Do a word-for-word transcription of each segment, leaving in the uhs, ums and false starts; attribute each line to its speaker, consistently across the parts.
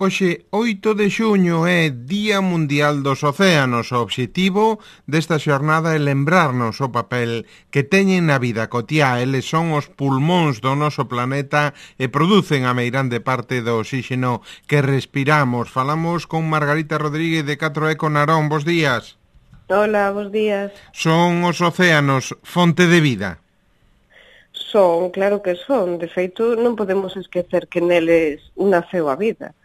Speaker 1: Hoxe, oito de xuño, é Día Mundial dos Océanos. O obxectivo desta xornada é lembrarnos o papel que teñen na vida cotiá. Eles son os pulmóns do noso planeta e producen a meirande parte do oxígeno que respiramos. Falamos con Margarita Rodríguez de catro Eco Narón. Bos días.
Speaker 2: Hola, bos días.
Speaker 1: Son os océanos fonte de vida?
Speaker 2: Son, claro que son. De feito, non podemos esquecer que neles naceu a vida.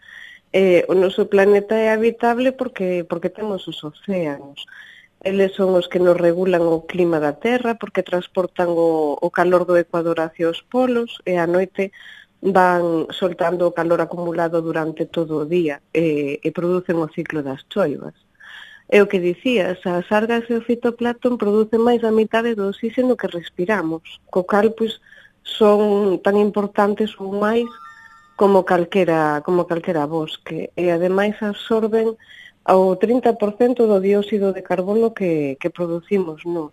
Speaker 2: Eh, o noso planeta é habitable porque porque temos os océanos. Eles son os que nos regulan o clima da Terra porque transportan o, o calor do Ecuador hacia os polos e á noite van soltando o calor acumulado durante todo o día e, e producen o ciclo das choivas. É o que dicías, as algas e o fitoplancton producen máis da mitade do oxígeno que respiramos, co cal, pois, son tan importantes ou máis como calquera, como calquera bosque, e ademais absorben ao trinta por cento do dióxido de carbono que, que producimos nós.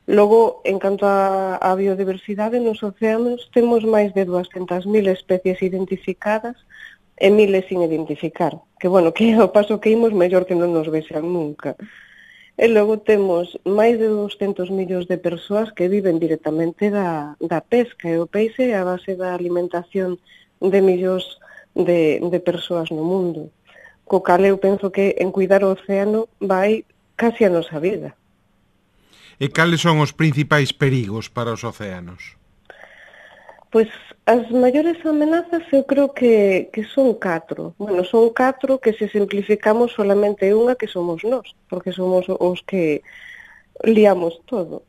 Speaker 2: Logo, en canto a, a biodiversidade nos océanos, temos máis de duascentas mil especies identificadas e miles sin identificar, que, bueno, que ao paso que imos, mellor que non nos vexan nunca. E logo temos máis de doscentos millóns de persoas que viven directamente da, da pesca, e o peixe é a base da alimentación de millóns de, de persoas no mundo. Co cal eu penso que en cuidar o océano vai casi a nosa vida.
Speaker 1: E cales son os principais perigos para os océanos?
Speaker 2: Pois as maiores amenazas eu creo que, que son catro. Bueno, son catro que se simplificamos solamente unha que somos nós, porque somos os que liamos todo.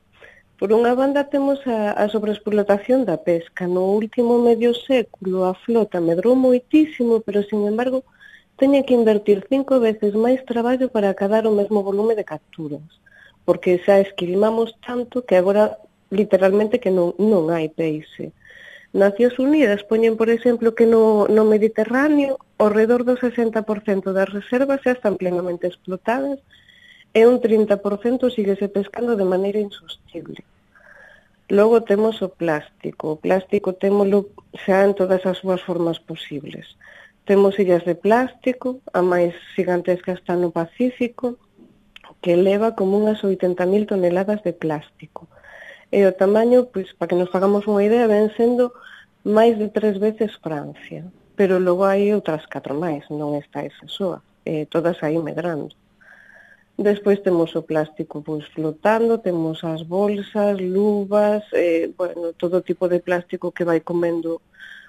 Speaker 2: Por unha banda temos a, a sobreexplotación da pesca. No último medio século a flota medrou moitísimo, pero, sin embargo, teña que invertir cinco veces máis traballo para acadar o mesmo volume de capturas, porque xa esquilmamos tanto que agora, literalmente, que non, non hai peixe. Nacións Unidas poñen, por exemplo, que no, no Mediterráneo ao redor do sesenta por cento das reservas xa están plenamente explotadas e un trinta por cento síguese pescando de maneira insostible. Logo temos o plástico. O plástico témolo xa en todas as súas formas posibles. Temos illas de plástico, a máis gigantesca está no Pacífico, que eleva como unhas oitenta mil toneladas de plástico. E o tamaño, pois, para que nos fagamos unha idea, ven sendo máis de tres veces Francia. Pero logo hai outras catro máis, non está esa soa, eh, todas aí medrando. Despois temos o plástico pois, flotando, temos as bolsas, luvas, eh, bueno, todo tipo de plástico que vai comendo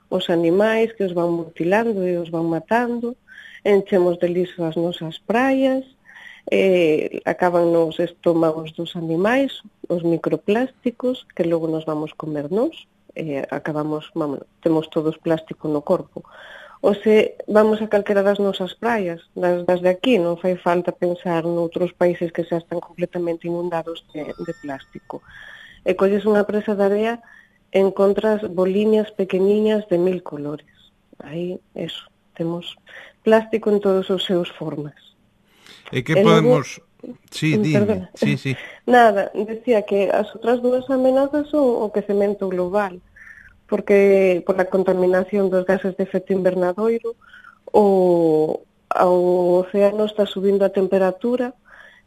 Speaker 2: os animais, que os van mutilando e os van matando, enchemos de lixo as nosas praias, eh, acaban nos estómagos dos animais, os microplásticos, que logo nos vamos comer nós, eh, acabamos, vamos, temos todos plástico no corpo. Ou se vamos a calquera das nosas praias, das, das de aquí, non fai falta pensar noutros países que xa están completamente inundados de, de plástico. E colles unha presa de area, encontras boliñas pequeniñas de mil colores. Aí, eso, temos plástico en todos os seus formas.
Speaker 1: E que podemos... Logo... Sí, dime. Sí, sí.
Speaker 2: Nada, decía que as outras dúas amenazas son o quecemento global, porque por a contaminación dos gases de efecto invernadoiro o, o océano está subindo a temperatura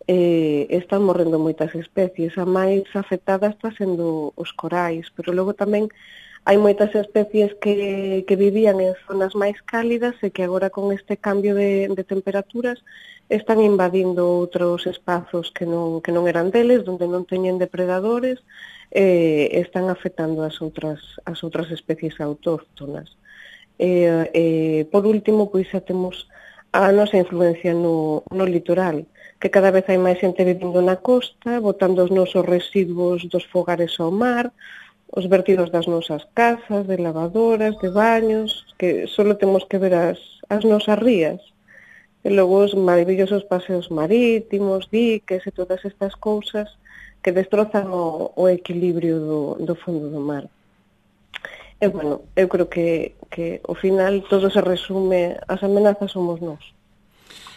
Speaker 2: e están morrendo moitas especies. A máis afectada está sendo os corais, pero logo tamén hai moitas especies que, que vivían en zonas máis cálidas e que agora con este cambio de, de temperaturas están invadindo outros espazos que non, que non eran deles, onde non teñen depredadores, eh, están afectando as outras, as outras especies autóctonas. Eh, eh, por último, pois xa temos a nosa influencia no, no litoral, que cada vez hai máis xente vivindo na costa, botando os nosos residuos dos fogares ao mar, os vertidos das nosas casas, de lavadoras, de baños, que só temos que ver as, as nosas rías. E logo os maravillosos paseos marítimos, diques e todas estas cousas que destrozan o, o equilibrio do, do fondo do mar. E, bueno, eu creo que, que ao final todo se resume, as amenazas somos nós.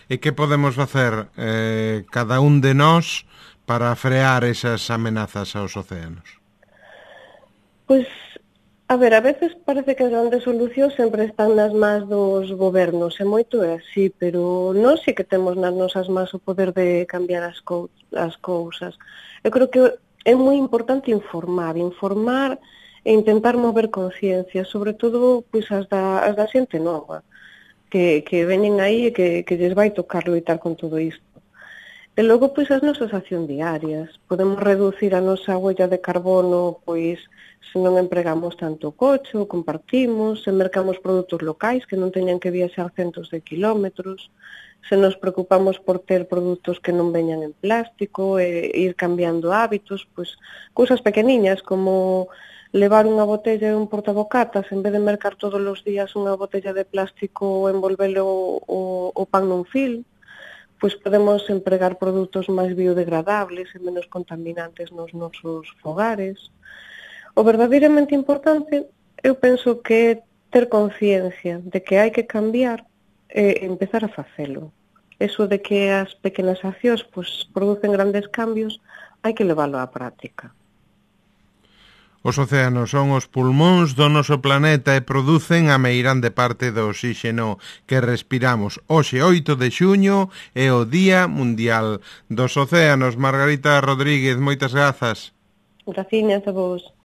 Speaker 1: E que podemos facer eh, cada un de nós para frear esas amenazas aos océanos?
Speaker 2: Pois A ver, a veces parece que as grandes solucións sempre están nas mans dos gobernos, e moito é así, pero nós sí que temos nas nosas mans o poder de cambiar as, co as cousas. Eu creo que é moi importante informar, informar e intentar mover conciencia, sobre todo pois, as, da, as da xente nova, que, que veñen aí e que, que lles vai tocar loitar con todo isto. E logo, pois, as nosas accións diarias. Podemos reducir a nosa huella de carbono, pois, se non empregamos tanto o coche, o compartimos, se mercamos produtos locais que non teñan que viaxar centos de kilómetros, se nos preocupamos por ter produtos que non veñan en plástico e ir cambiando hábitos, pois, cousas pequeniñas como levar unha botella e un portabocatas en vez de mercar todos os días unha botella de plástico ou envolvelo o, o pan nun fil, pois podemos empregar produtos máis biodegradables e menos contaminantes nos nosos fogares. O verdadeiramente importante, eu penso que é ter conciencia de que hai que cambiar e empezar a facelo. Eso de que as pequenas accións pois, producen grandes cambios, hai que leválo á práctica.
Speaker 1: Os océanos son os pulmóns do noso planeta e producen a meirande parte do oxíxeno que respiramos. Hoxe, oito de xuño, é o Día Mundial dos Océanos. Margarita Rodríguez, moitas grazas.
Speaker 2: Graciñas a vos.